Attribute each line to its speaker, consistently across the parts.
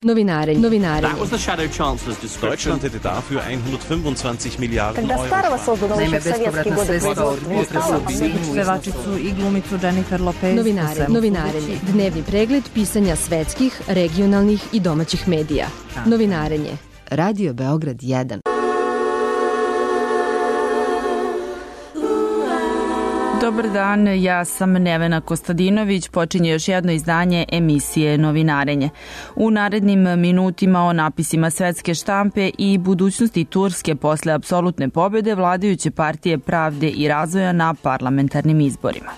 Speaker 1: Novinarenje.
Speaker 2: Deutschland hätte dafür 125 Milijarden
Speaker 3: Когда старого созданного еще в советские годы
Speaker 4: Pevačicu i glumicu Jennifer Lopez.
Speaker 1: Novinarenje. Dnevni pregled pisanja svetskih, regionalnih i domaćih medija. Novinarenje. Radio Beograd 1.
Speaker 4: Dobar dan, ja sam Nevena Kostadinović, počinje još jedno izdanje emisije Novinarenje. U narednim minutima o napisima svetske štampe i budućnosti Turske posle apsolutne pobjede vladajuće partije Pravde i razvoja na parlamentarnim izborima.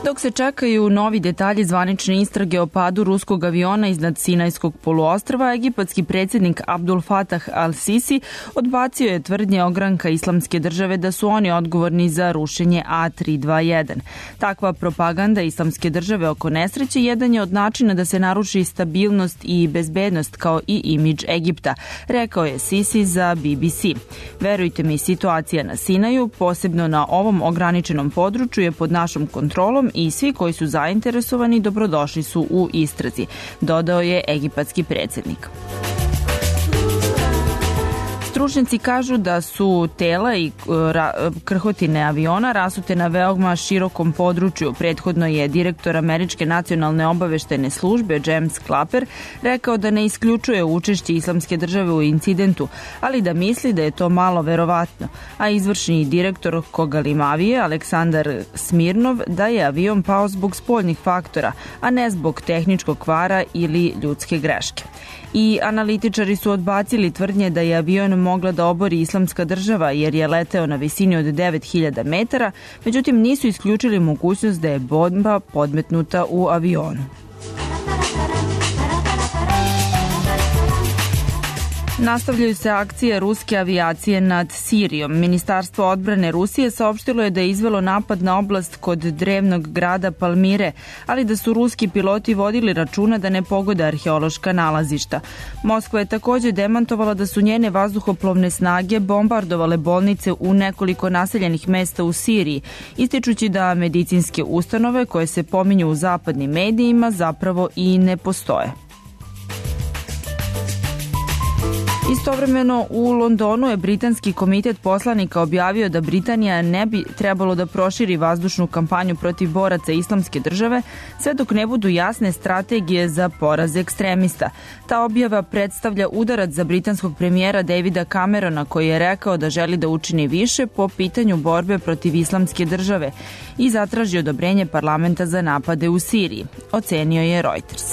Speaker 4: Dok se čekaju novi detalji zvanične istrage o padu ruskog aviona iznad Sinajskog poluostrva, egipatski predsjednik Abdul Fatah al-Sisi odbacio je tvrdnje ogranka Islamske države da su oni odgovorni za rušenje A321. Takva propaganda Islamske države oko nesreće jedan je od načina da se naruši stabilnost i bezbednost kao i imidž Egipta, rekao je Sisi za BBC. Verujte mi, situacija na Sinaju, posebno na ovom ograničenom području, je pod našom kontrolom i svi koji su zainteresovani dobrodošli su u istrazi, dodao je egipatski predsjednik. Stručnjaci kažu da su tela i krhotine aviona rasute na veoma širokom području. Prethodno je direktor Američke nacionalne obaveštajne službe James Clapper rekao da ne isključuje učešće Islamske države u incidentu, ali da misli da je to malo verovatno. A izvršni direktor Kogalimavije, Aleksandar Smirnov, da je avion pao zbog spoljnih faktora, a ne zbog tehničkog kvara ili ljudske greške. I analitičari su odbacili tvrdnje da je avion mogla da obori Islamska država jer je leteo na visini od 9000 metara, međutim nisu isključili mogućnost da je bomba podmetnuta u avionu. Nastavljaju se akcije ruske avijacije nad Sirijom. Ministarstvo odbrane Rusije saopštilo je da je izvelo napad na oblast kod drevnog grada Palmire, ali da su ruski piloti vodili računa da ne pogode arheološka nalazišta. Moskva je također demantovala da su njene vazduhoplovne snage bombardovale bolnice u nekoliko naseljenih mesta u Siriji, ističući da medicinske ustanove koje se pominju u zapadnim medijima zapravo i ne postoje. Istovremeno u Londonu je britanski komitet poslanika objavio da Britanija ne bi trebalo da proširi vazdušnu kampanju protiv boraca Islamske države sve dok ne budu jasne strategije za poraz ekstremista. Ta objava predstavlja udarac za britanskog premijera Davida Camerona koji je rekao da želi da učini više po pitanju borbe protiv Islamske države i zatraži odobrenje parlamenta za napade u Siriji, ocenio je Reuters.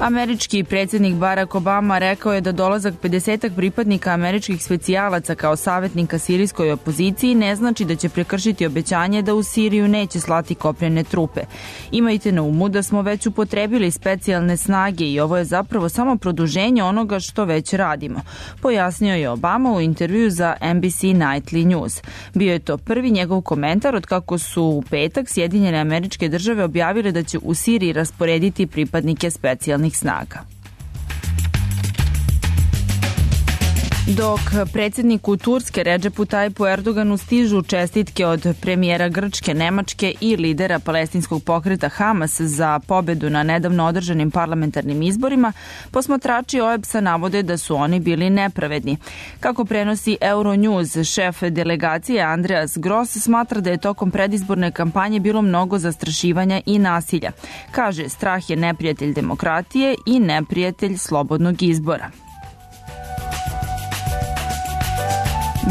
Speaker 4: Američki predsjednik Barack Obama rekao je da dolazak 50 pripadnika američkih specijalaca kao savjetnika sirijskoj opoziciji ne znači da će prekršiti obećanje da u Siriju neće slati kopnene trupe. Imajte na umu da smo već upotrebili specijalne snage i ovo je zapravo samo produženje onoga što već radimo, pojasnio je Obama u intervju za NBC Nightly News. Bio je to prvi njegov komentar od kako su u petak Sjedinjene Američke Države objavile da će u Siriji rasporediti pripadnike specijalnih snaga. Dok predsjedniku Turske Redžepu Tajipu Erdoganu stižu čestitke od premijera Grčke, Nemačke i lidera palestinskog pokreta Hamas za pobedu na nedavno održanim parlamentarnim izborima, posmatrači OEBS-a navode da su oni bili nepravedni. Kako prenosi Euronews, šef delegacije Andreas Gross smatra da je tokom predizborne kampanje bilo mnogo zastrašivanja i nasilja. Kaže, strah je neprijatelj demokratije i neprijatelj slobodnog izbora.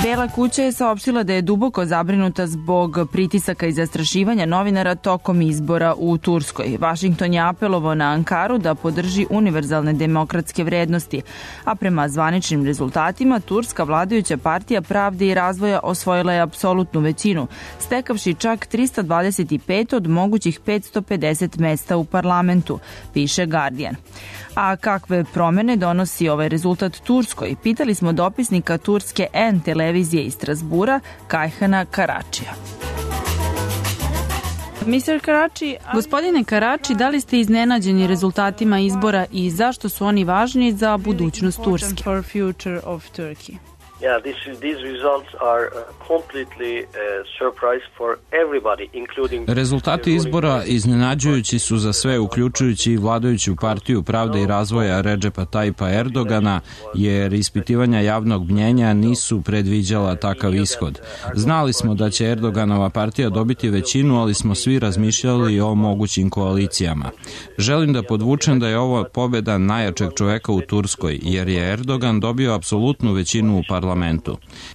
Speaker 4: Bela kuća je saopštila da je duboko zabrinuta zbog pritisaka i zastrašivanja novinara tokom izbora u Turskoj. Vašington je apelovao na Ankaru da podrži univerzalne demokratske vrednosti, a prema zvaničnim rezultatima Turska vladajuća partija Pravde i razvoja osvojila je apsolutnu većinu, stekavši čak 325 od mogućih 550 mesta u parlamentu, piše Guardian. A kakve promene donosi ovaj rezultat Turskoj? Pitali smo dopisnika turske N televizije iz Strasbura, Kajhana Karačija.
Speaker 5: Gospodine Karači, da li ste iznenađeni rezultatima izbora i zašto su oni važni za budućnost Turske?
Speaker 6: Yeah, these results are completely surprise for everybody, including...
Speaker 7: Rezultati izbora iznenađujući su za sve, uključujući i vladajuću partiju Pravde i razvoja Redžepa Tayyipa Erdogana, jer ispitivanja javnog mnjenja nisu predviđala takav ishod. Znali smo da će Erdoganova partija dobiti većinu, ali smo svi razmišljali o mogućim koalicijama. Želim da podvučem da je ovo pobjeda najjačeg čoveka u Turskoj, jer je Erdogan dobio apsolutnu većinu u parlamentu.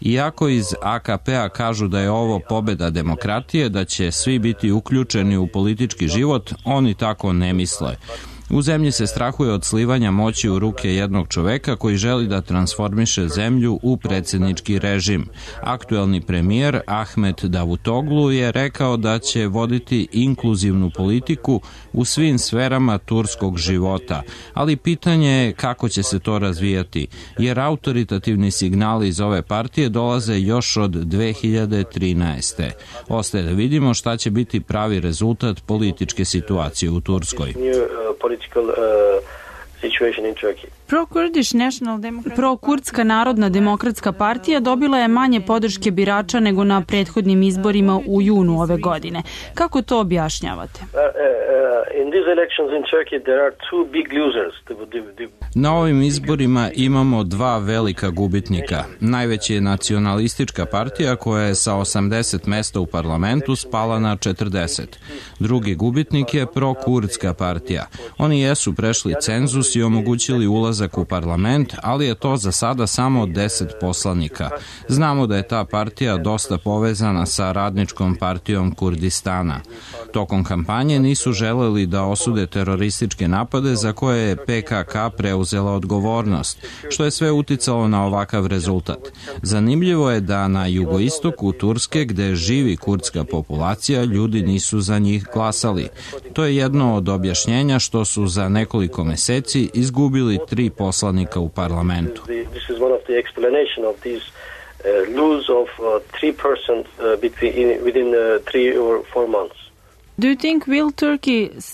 Speaker 7: Iako iz AKP-a kažu da je ovo pobjeda demokratije, da će svi biti uključeni u politički život, oni tako ne misle. U zemlji se strahuje od slivanja moći u ruke jednog čoveka koji želi da transformiše zemlju u predsjednički režim. Aktuelni premijer Ahmet Davutoglu je rekao da će voditi inkluzivnu politiku u svim sferama turskog života, ali pitanje je kako će se to razvijati, jer autoritativni signali iz ove partije dolaze još od 2013. Ostaje da vidimo šta će biti pravi rezultat političke situacije u Turskoj.
Speaker 5: Pro-kurdska narodna demokratska partija dobila je manje podrške birača nego na prethodnim izborima u junu ove godine. Kako to objašnjavate?
Speaker 7: Na ovim izborima imamo dva velika gubitnika. Najveći je nacionalistička partija koja je sa 80 mesta u parlamentu spala na 40. Drugi gubitnik je pro-kurdska partija. Oni jesu prešli cenzus i omogućili ulazak u parlament, ali je to za sada samo 10 poslanika. Znamo da je ta partija dosta povezana sa radničkom partijom Kurdistana. Tokom kampanje nisu želeli da osude terorističke napade za koje je PKK preuzela odgovornost, što je sve uticalo na ovakav rezultat. Zanimljivo je da na jugoistoku Turske, gde živi kurdska populacija, ljudi nisu za njih glasali. To je jedno od objašnjenja što su za nekoliko meseci izgubili 3 poslanika u parlamentu.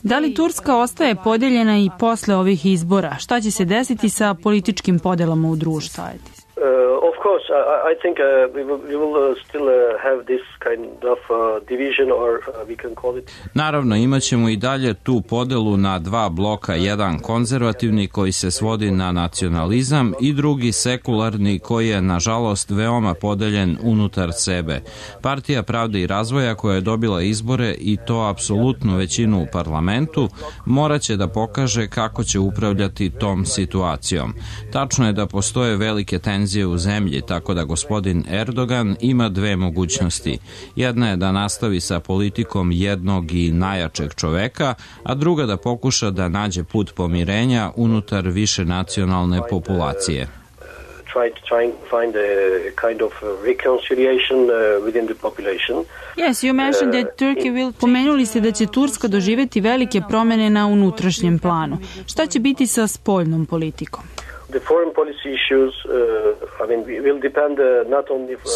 Speaker 5: Da li Turska ostaje podijeljena i posle ovih izbora? Šta će se desiti sa političkim podelama u društvu?
Speaker 6: Of course, I think we will still have this kind of division, or we can call it.
Speaker 7: Naravno, imaćemo i dalje tu podelu na dva bloka, jedan konzervativni koji se svodi na nacionalizam i drugi sekularni koji je nažalost veoma podeljen unutar sebe. Partija Pravde i razvoja koja je dobila izbore i to apsolutnu većinu u parlamentu morat će da pokaže kako će upravljati tom situacijom. Tačno je da postoje velike tenzije u zemlji, tako da gospodin Erdogan ima dve mogućnosti. Jedna je da nastavi sa politikom jednog i najjačeg čoveka, a druga da pokuša da nađe put pomirenja unutar više nacionalne populacije.
Speaker 5: Pomenuli ste da će Turska doživjeti velike promjene na unutrašnjem planu. Šta će biti sa spoljnom politikom?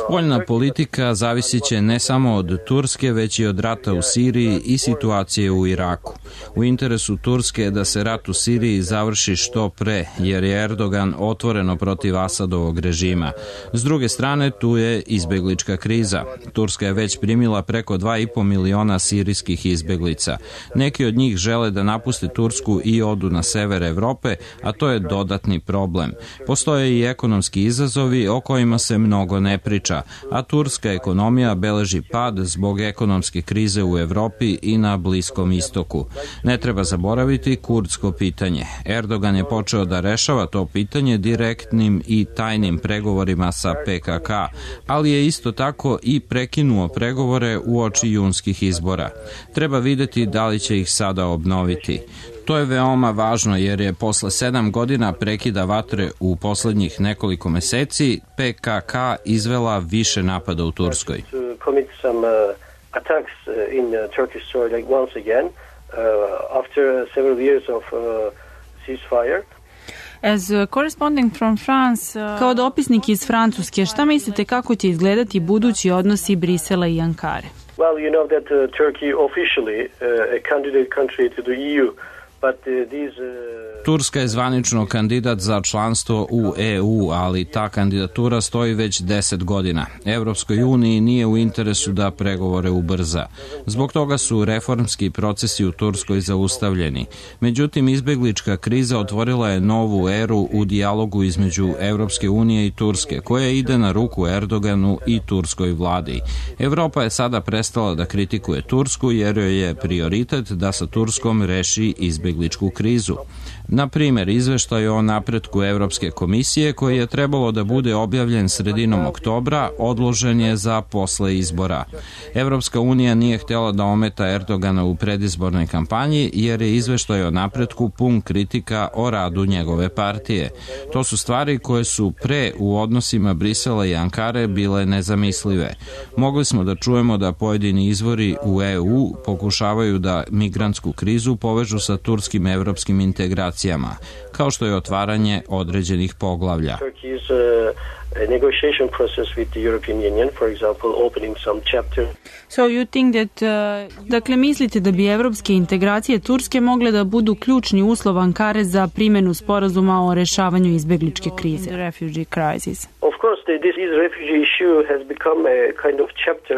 Speaker 7: Spoljna politika zavisit će ne samo od Turske, već i od rata u Siriji i situacije u Iraku. U interesu Turske je da se rat u Siriji završi što pre, jer je Erdogan otvoreno protiv Asadovog režima. S druge strane, tu je izbeglička kriza. Turska je već primila preko 2,5 miliona sirijskih izbeglica. Neki od njih žele da napuste Tursku i odu na sever Evrope, a to je dodatni problem. Postoje i ekonomski izazovi o kojima se mnogo ne priča, a turska ekonomija beleži pad zbog ekonomske krize u Evropi i na Bliskom istoku. Ne treba zaboraviti kurdsko pitanje. Erdogan je počeo da rešava to pitanje direktnim i tajnim pregovorima sa PKK, ali je isto tako i prekinuo pregovore uoči junskih izbora. Treba videti da li će ih sada obnoviti. To je veoma važno jer je posle 7 godina prekida vatre u poslednjih nekoliko meseci PKK izvela više napada u Turskoj.
Speaker 5: Kao dopisnik iz Francuske, šta mislite kako će izgledati budući odnosi Brisela i Ankare?
Speaker 6: Well, you know that Turkey officially a candidate country to the EU.
Speaker 7: Turska je zvanično kandidat za članstvo u EU, ali ta kandidatura stoji već 10 godina. Evropskoj uniji nije u interesu da pregovore ubrza. Zbog toga su reformski procesi u Turskoj zaustavljeni. Međutim, izbeglička kriza otvorila je novu eru u dijalogu između Evropske unije i Turske, koja ide na ruku Erdoganu i turskoj vladi. Evropa je sada prestala da kritikuje Tursku jer joj je prioritet da sa Turskom reši izbegličku krizu. Na primjer, izveštaj o napretku Evropske komisije, koji je trebalo da bude objavljen sredinom oktobra, odložen je za posle izbora. Evropska unija nije htjela da ometa Erdogana u predizbornoj kampanji, jer je izveštaj o napretku pun kritika o radu njegove partije. To su stvari koje su pre u odnosima Brisela i Ankare bile nezamislive. Mogli smo da čujemo da pojedini izvori u EU pokušavaju da migrantsku krizu povežu sa turskim evropskim integracijama, kao što je otvaranje određenih poglavlja.
Speaker 5: So you think that, dakle, mislite da bi evropske integracije Turske mogle da budu ključni uslov Ankare za primjenu sporazuma o rešavanju izbegličke krize?
Speaker 6: Of course, this refugee issue has become a kind of chapter.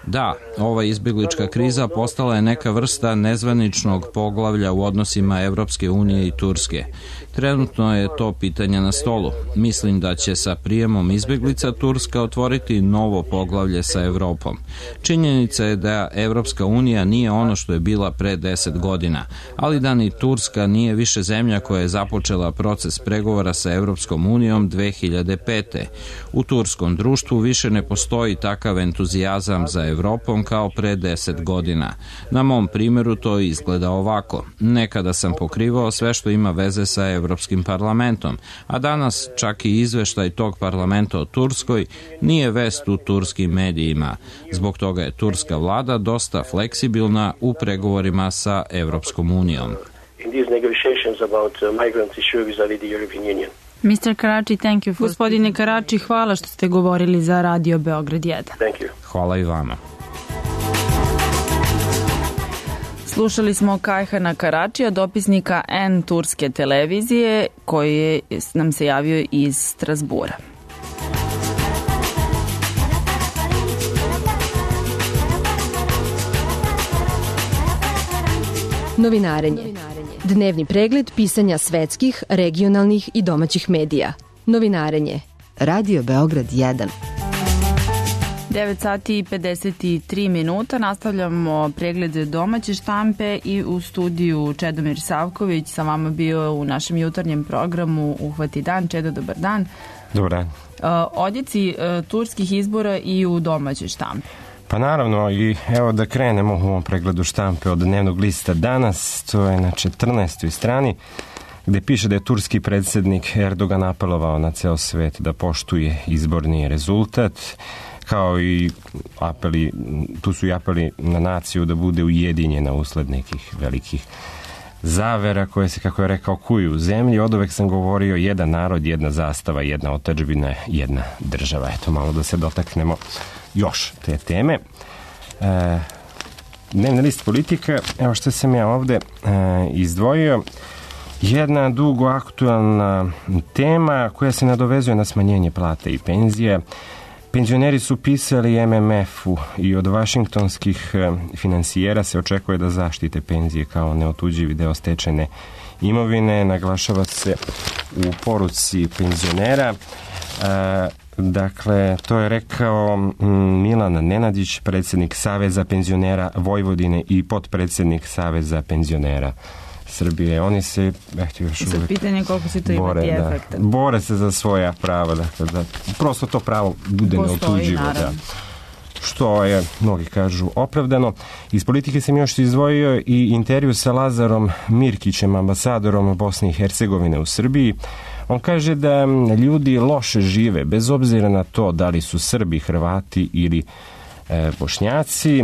Speaker 7: Da, ova izbeglička kriza postala je neka vrsta nezvaničnog poglavlja u odnosima Evropske unije i Turske. Trenutno je to pitanje na stolu. Mislim da će sa prijemom izbeglica Turska otvoriti novo poglavlje sa Evropom. Činjenica je da Evropska unija nije ono što je bila pre 10 godina, ali da ni Turska nije više zemlja koja je započela proces pregovora sa Evropskom unijom 2005. U turskom društvu više ne postoji takav entuzijazam za Evropom kao pre 10 godina. Na mom primjeru to izgleda ovako. Nekada sam pokrivao sve što ima veze sa Evropskim parlamentom, a danas čak i izveštaj tog parlamenta o Turskoj nije vest u turskim medijima. Zbog toga je turska vlada dosta fleksibilna u pregovorima sa Evropskom unijom.
Speaker 5: Mr. Karači, thank you. Gospodine Karači, hvala što ste govorili za Radio Beograd 1.
Speaker 6: Thank you.
Speaker 7: Hvala i vama.
Speaker 4: Slušali smo Kajhana Karačija, dopisnika N turske televizije, koji nam se javio iz Strasbura.
Speaker 1: Novinarenje. Dnevni pregled pisanja svetskih, regionalnih i domaćih medija. Novinarenje. Radio Beograd 1.
Speaker 4: 9 sati i 53 minuta. Nastavljamo pregled domaće štampe i u studiju Čedomir Savković sa vama bio u našem jutarnjem programu Uhvati dan. Čedo, dobar dan.
Speaker 8: Dobar dan.
Speaker 4: Odjeci turskih izbora i u domaćoj štampi.
Speaker 8: Pa naravno, i evo da krenemo u ovom pregledu štampe od dnevnog lista danas. To je na 14. strani gde piše da je turski predsjednik Erdogan apelovao na ceo svet da poštuje izborni rezultat, kao i apeli, tu su i apeli na naciju da bude ujedinjena usled nekih velikih zavera koje se, kako je rekao, kuju u zemlji. Od uvek sam govorio jedan narod, jedna zastava, jedna otadžbina, jedna država. Eto, malo da se dotaknemo još te teme. Dnevni list politika, evo što sam ja ovde izdvojio. Jedna dugo aktualna tema koja se nadovezuje na smanjenje plata i penzije. Penzioneri su pisali MMF-u i od vašingtonskih finansijera se očekuje da zaštite penzije kao neotuđivi deo stečene imovine. Naglašava se u poruci penzionera. Dakle, to je rekao Milan Nenadić, predsjednik Saveza penzionera Vojvodine i potpredsjednik Saveza penzionera Srbije. Oni se, još uvijek
Speaker 4: pitanje koliko se to imati efekta.
Speaker 8: Bore se za svoja prava, dakle, da prosto to pravo bude neotuđivo. Da. Što je, mnogi kažu, opravdano. Iz politike sam još izdvojio i intervju sa Lazarom Mirkićem, ambasadorom Bosne i Hercegovine u Srbiji. On kaže da ljudi loše žive, bez obzira na to da li su Srbi, Hrvati ili Bošnjaci.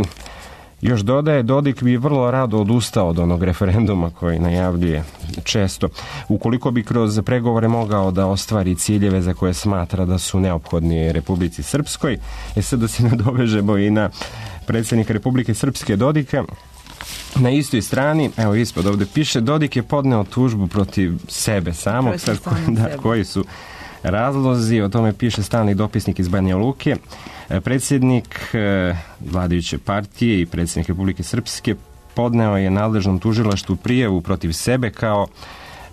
Speaker 8: Još dodaje, Dodik bi vrlo rado odustao od onog referenduma koji najavljuje često, ukoliko bi kroz pregovore mogao da ostvari ciljeve za koje smatra da su neophodni Republici Srpskoj. Sad da se nadovežemo i na predsjednika Republike Srpske Dodika. Na istoj strani, evo ispod ovde piše, Dodik je podneo tužbu protiv sebe samog, koji su razlozi, o tome piše stalni dopisnik iz Banja Luke. Predsjednik vladajuće partije i predsjednik Republike Srpske podneo je nadležnom tužilaštvu prijavu protiv sebe kao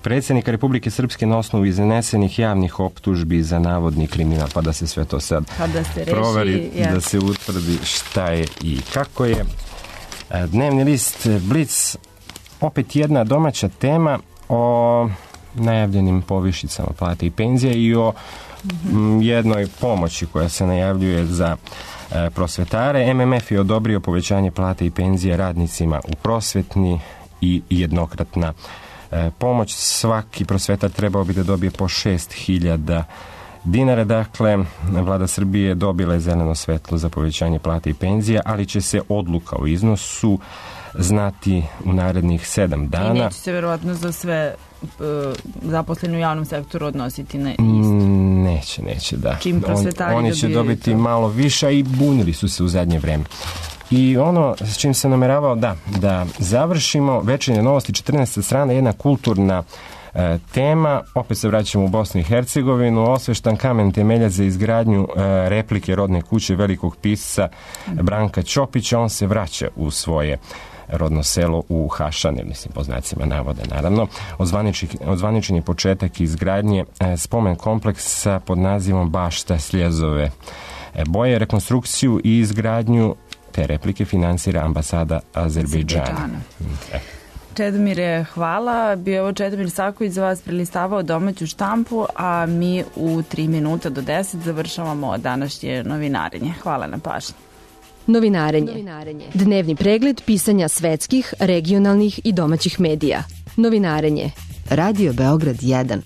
Speaker 8: predsjednika Republike Srpske na osnovu iznesenih javnih optužbi za navodni kriminal, pa da se sve to sad proveri, da se utvrdi šta je i kako je. Dnevni list Blic, opet jedna domaća tema o najavljenim povišicama plate i penzije i o jednoj pomoći koja se najavljuje za prosvetare. MMF je odobrio povećanje plate i penzije radnicima u prosvetni i jednokratna pomoć. Svaki prosvetar trebao bi da dobije po 6.000 dinara. Dakle, vlada Srbije dobila je zeleno svetlo za povećanje plate i penzija, ali će se odluka o iznosu znati u narednih 7 dana.
Speaker 4: I neće se verovatno za sve zaposleni u javnom sektoru odnositi na isto.
Speaker 8: Neće, da.
Speaker 4: Čim prosvetari
Speaker 8: oni će dobiti to malo više i bunili su se u zadnje vreme. I ono s čim se nameravao da završimo, Večernje novosti, 14. strana, jedna kulturna tema, opet se vraćamo u Bosnu i Hercegovinu, osveštan kamen temelja za izgradnju replike rodne kuće velikog pisca Branka Ćopića. On se vraća u svoje rodno selo u Hašane, mislim po znacima navoda naravno. Ozvaničen je početak izgradnje spomen kompleksa pod nazivom Bašta Sljezove boje. Rekonstrukciju i izgradnju te replike finansira ambasada Azerbejdžana.
Speaker 4: Čedomire, hvala. Bio je ovo Čedomir Saković za vas prelistavao domaću štampu, a mi u 3 minuta do 10 završavamo današnje novinarenje. Hvala na pažnji.
Speaker 1: Novinarenje. Dnevni pregled pisanja svetskih, regionalnih i domaćih medija. Novinarenje. Radio Beograd 1.